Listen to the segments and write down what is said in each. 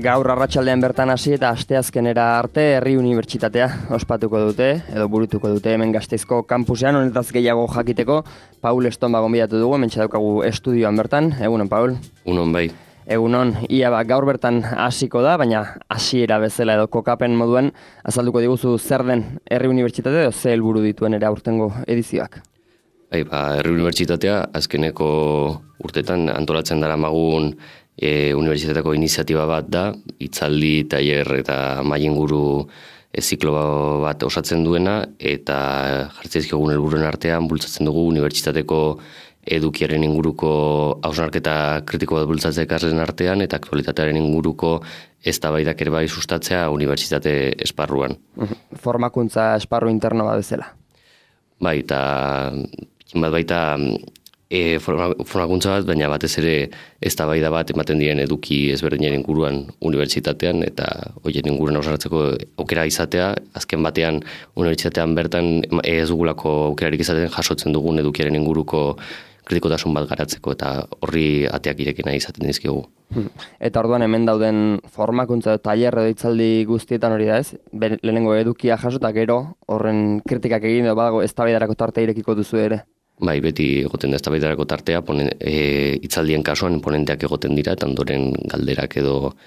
Gaur arratsaldean bertan hasi eta asteazkenera arte Herri Unibertsitatea ospatuko dute, edo burutuko dute hemen Gasteizko kampusean. Honetaz gehiago jakiteko, Paul Estonba gonbidatu dugu, hementxe daukagu estudioan bertan. Egunon, Paul? Egunon, bai. Egunon, gaur bertan hasiko da, baina hasiera bezala edo kokapen moduan azalduko diguzu zer den Herri Unibertsitatea edo ze helburu dituen ere aurtengo edizioak. Bai, Herri Unibertsitatea azkeneko urtetan antolatzen daramagun unibertsitateko iniziatiba bat da, hitzaldi, tailer eta mailinguru ziklo bat osatzen duena, eta jartzaizkiogun helburuen artean bultzatzen dugu unibertsitateko edukiaren inguruko hausnarketa kritiko bat bultzatzea ikasleen artean, eta aktualitatearen inguruko eztabaidak ere bai sustatzea unibertsitate esparruan. Formakuntza esparru interno bat bezala. Bai, eta bat baita formakuntza bat, baina batez ere eztabaida bat ematen diren eduki ezberdinen inguruan unibertsitatean, eta horien inguruan hausnartzeko aukera izatea, azken batean unibertsitatean bertan ez dugulako aukerarik izaten jasotzen dugun edukiaren inguruko kritikotasun bat garatzeko, eta horri ateak irekina izaten dizkigu. Eta orduan hemen dauden formakuntza tailer edo hitzaldi guztietan hori da ez? Lehenengo edukia jaso eta gero horren kritikak egin edo badago eztabaidarako tarte irekiko duzu ere? Bai, beti egoten da eztabaidarako tartea, hitzaldien kasuan ponenteak egoten dira, eta ondoren galderak edo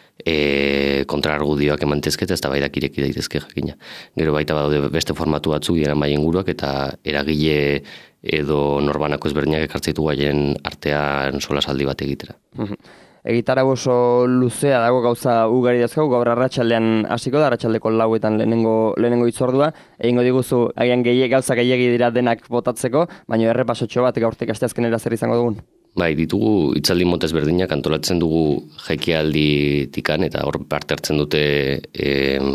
kontrargudioak emantezke eta eztabaidak ireki daitezke jakina. Gero baita badaude beste formatu batzuk dira mailingurua eta eragile edo norbanako ezberdinak ekartzaitu gaien artean solasaldi bat egitera. Egitarau oso luzea dago, gauza ugari dazkau, gaur arratsaldean hasiko da, arratsaldeko 4etan lehenengo hitzordua. Egingo diguzu agian gauza gehiegi dira denak botatzeko, baina errepasotxo bat gaurtik asteazkenera zer izango dugun. Bai, ditugu hitzaldi mota ezberdinak antolatzen dugu jaikialditikan, eta hor parte hartzen dute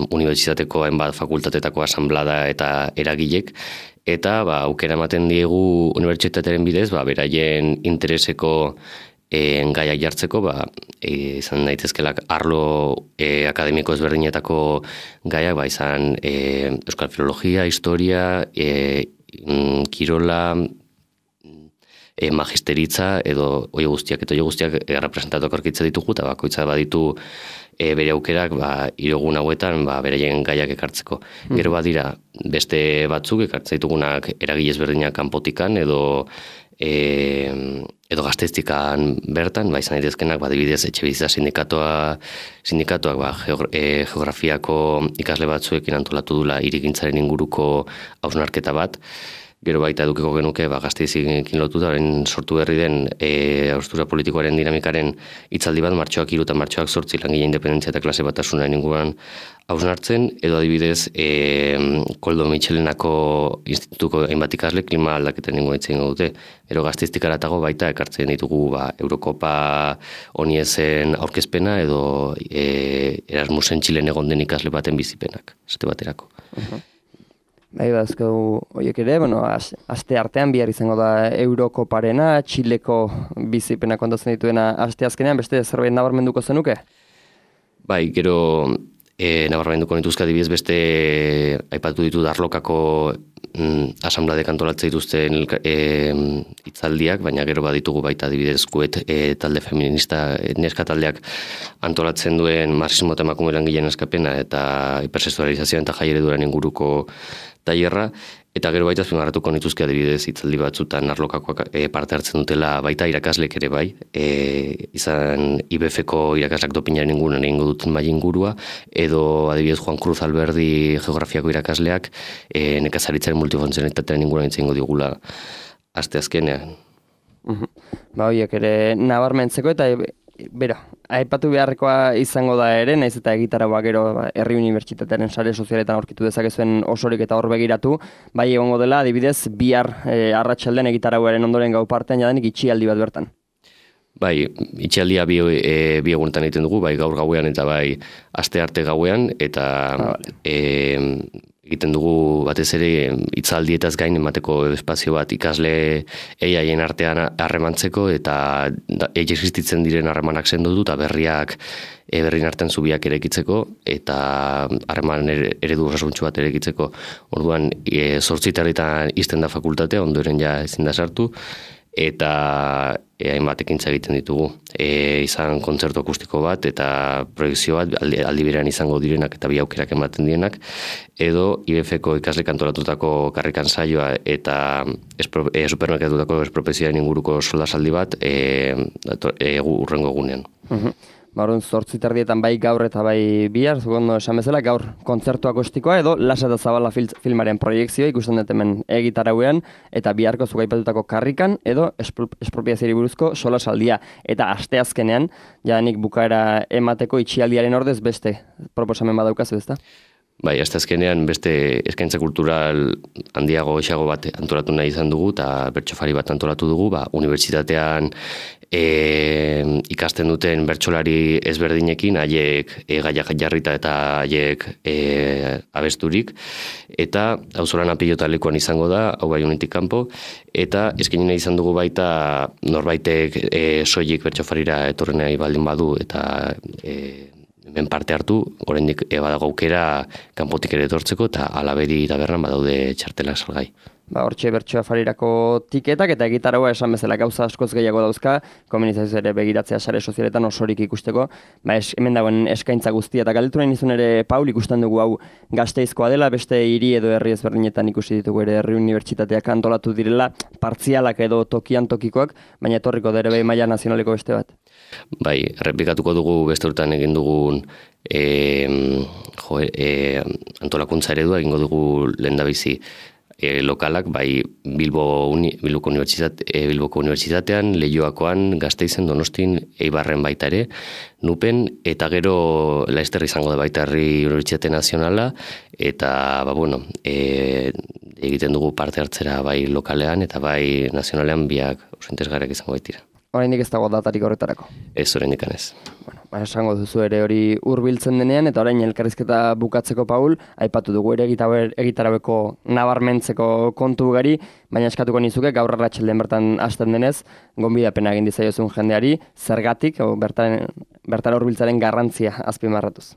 unibertsitateko hainbat fakultatetako asanblada eta eragilek, eta aukera ematen diegu unibertsitatearen bidez, beraien intereseko gaiak jartzeko, izan daitezkelak arlo akademiko ezberdinetako gaiak, izan euskal filologia, historia, kirola, magisteritza, edo hoi guztiak representatuak aurkitzen ditugu, eta bakoitza baditu bere aukerak irogun hauetan beraien gaiak ekartzeko. Gero badira beste batzuk ekartzen ditugunak eragile ezberdinak kanpotikan edo Gasteiztikan bertan, izan daitezkenak adibidez Etxebizitza sindikatuak geografiako ikasle batzuekin antolatu dula hirigintzaren inguruko hausnarketa bat. Gero baita edukiko genuke Gasteizekin lotuta orain sortu berri den haustura politikoaren dinamikaren hitzaldi bat martxoak 3 eta martxoak 8 langile independentzia eta klase batasunaren inguruan hausnartzen, edo adibidez Koldo Mitxelenako institutuko hainbat ikasle klima aldaketen inguruan hitz egingo dute. Gero Gasteiztik haratago baita ekartzen ditugu Eurokopa oniezen aurkezpena edo Erasmusen Txilen egon den ikasle baten bizipenak, esate baterako. Bai, bazkau horiek ere, aste artean bihar izango da Eurokoparena, Txileko bizipena kontatzen dituena asteazkenean, beste zerbait nabarmenduko zenuke? Bai, gero nabarmenduko nituzka adibidez beste aipatu ditu Darlokako asanbladek antolatzen dituzten hitzaldiak, baina gero baditugu baita adibidez Kuet talde feminista neska taldeak antolatzen duen marxismo eta emakume langileen askapena eta hipersexualizazioa eta jai ereduaren inguruko tailerra, eta gero baita azpimarratuko nituzke adibidez hitzaldi batzutan Arlokakoak parte hartzen dutela baita irakaslek ere bai, izan IBF-ko irakaslak dopinaren inguruan egingo duten mailingurua, edo adibidez Juan Cruz Alberdi geografiako irakasleak nekazaritzaren multifuntzionalitatearen inguruan hitz egingo digula asteazkenean. Horiek ere nabarmentzeko eta aipatu beharrekoa izango da ere, naiz eta egitaragoa gero Herri Unibertsitatearen sare sozialetan aurkitu dezakezuen osorik eta hor begiratu, bai egongo dela, adibidez, bihar arratsaldean egitaragoaren ondoren gau partean jadanik itxialdi bat bertan. Bai, itxialdia bi egunetan egiten dugu, bai gaur gauean eta bai aste arte gauean, eta egiten dugu batez ere hitzaldietaz gain emateko espazio bat ikasle haien artean harremantzeko eta existitzen diren harremanak sendotu eta berrien artean zubiak erekitzeko eta harreman eredu osasuntsu bat erekitzeko. Orduan 8:00 ixten da fakultatea, ondoren ja ezin da sartu, eta hainbat ekintza egiten ditugu. Izan kontzertu akustiko bat eta proiekzio bat aldi berean izango direnak eta bi aukerak ematen direnak, edo IBF-ko ikasle kantoratutako karrikan saioa eta supermerkatutako espropezioaren inguruko solasaldi bat urrengo egunean. Orduan 8:30 bai gaur eta bai bihar, ondo esan bezala, gaur kontzertu akustikoa edo Lasa eta Zabala filmaren proiekzioa ikusten dut hemen egitarauean, eta biharko zuk aipatutako karrikan edo espropiazioari buruzko solasaldia. Eta asteazkenean, jadanik bukaera emateko itxialdiaren ordez beste proposamen badaukazu, ezta? Bai, asteazkenean beste eskaintza kultural handiago geixago bat antolatu nahi izan dugu, eta bertsofari bat antolatu dugu, unibertsitatean ikasten duten bertsolari ezberdinekin, haiek gaiak jarrita eta haiek abesturik, eta auzolan apilotalekoan izango da, hau bai honetik kanpo, eta eskaini nahi izan dugu baita norbaitek soilik bertsofarira etorri nahi baldin badu, eta hemen parte hartu, oraindik badago aukera kanpotik ere etortzeko, eta Alabedi tabernan badaude txartelak salgai. Hortxe bertsoafarirako tiketak eta egitaraua esan bezala gauza askoz gehiago dauzka, komunizazio ere begiratzea sare sozialetan osorik ikusteko, hemen dagoen eskaintza guztia, eta galdetu nahi nizun ere, Paul, ikusten dugu hau Gasteizkoa dela, beste hiri edo herri ezberdinetan ikusi ditugu ere herri unibertsitateak antolatu direla, partzialak edo tokian tokikoak, baina etorriko dere bai maila nazionaleko beste bat. Bai, errepikatuko dugu beste urtean egin dugun antolakuntza eredua egingo dugu lehendabizi lokalak, bai Bilboko unibertsitatean, Leioakoan, Gasteizen, Donostin, Eibarren baita ere, Nupen, eta gero Laster izango da baita herri unibertsitate nazionala, eta egiten dugu parte hartzera bai lokalean eta bai nazionalean biak oso interesgarriak izango baitira. Oraindik ez dago datarik horretarako. Ez oraindik ez. Esango duzu ere hori hurbiltzen denean, eta orain elkarrizketa bukatzeko, Paul, aipatu dugu ere egitaraueko nabarmentzeko kontu ugari, baina eskatuko nizuke gaur arratsaldean bertan hasten denez, gonbidapena egin dizaiozun jendeari, zergatik, bertara hurbiltzaren garrantzia azpimarratuz.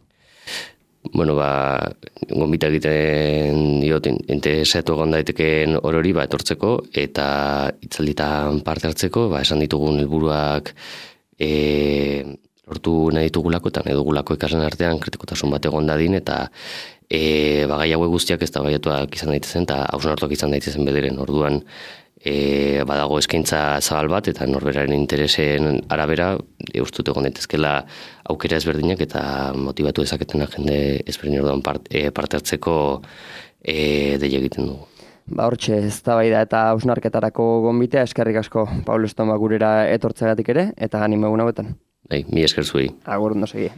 Gonbita egiten diot, interesatu egon daiteken orori etortzeko eta hitzalditan parte hartzeko, esan ditugun helburuak lortu nahi ditugulako eta nahi dugulako ikasleen artean kritikotasun bat egon dadin, eta gai hauek guztiak eztabaidatuak izan daitezen eta hausnartuak izan daitezen bederen. Orduan badago eskaintza zabal bat eta norberaren interesen arabera ustut egon daitezkela aukera ezberdinak eta motibatu dezaketena jende ezberdin orduan parte hartzeko deia egiten dugu. Hortxe eztabaida eta hausnarketarako gonbitea, eskerrik asko Paul Estoma gurera etortzeagatik ere, eta animo egun hauetan. Mi esker zuei. Agur, ondo segi.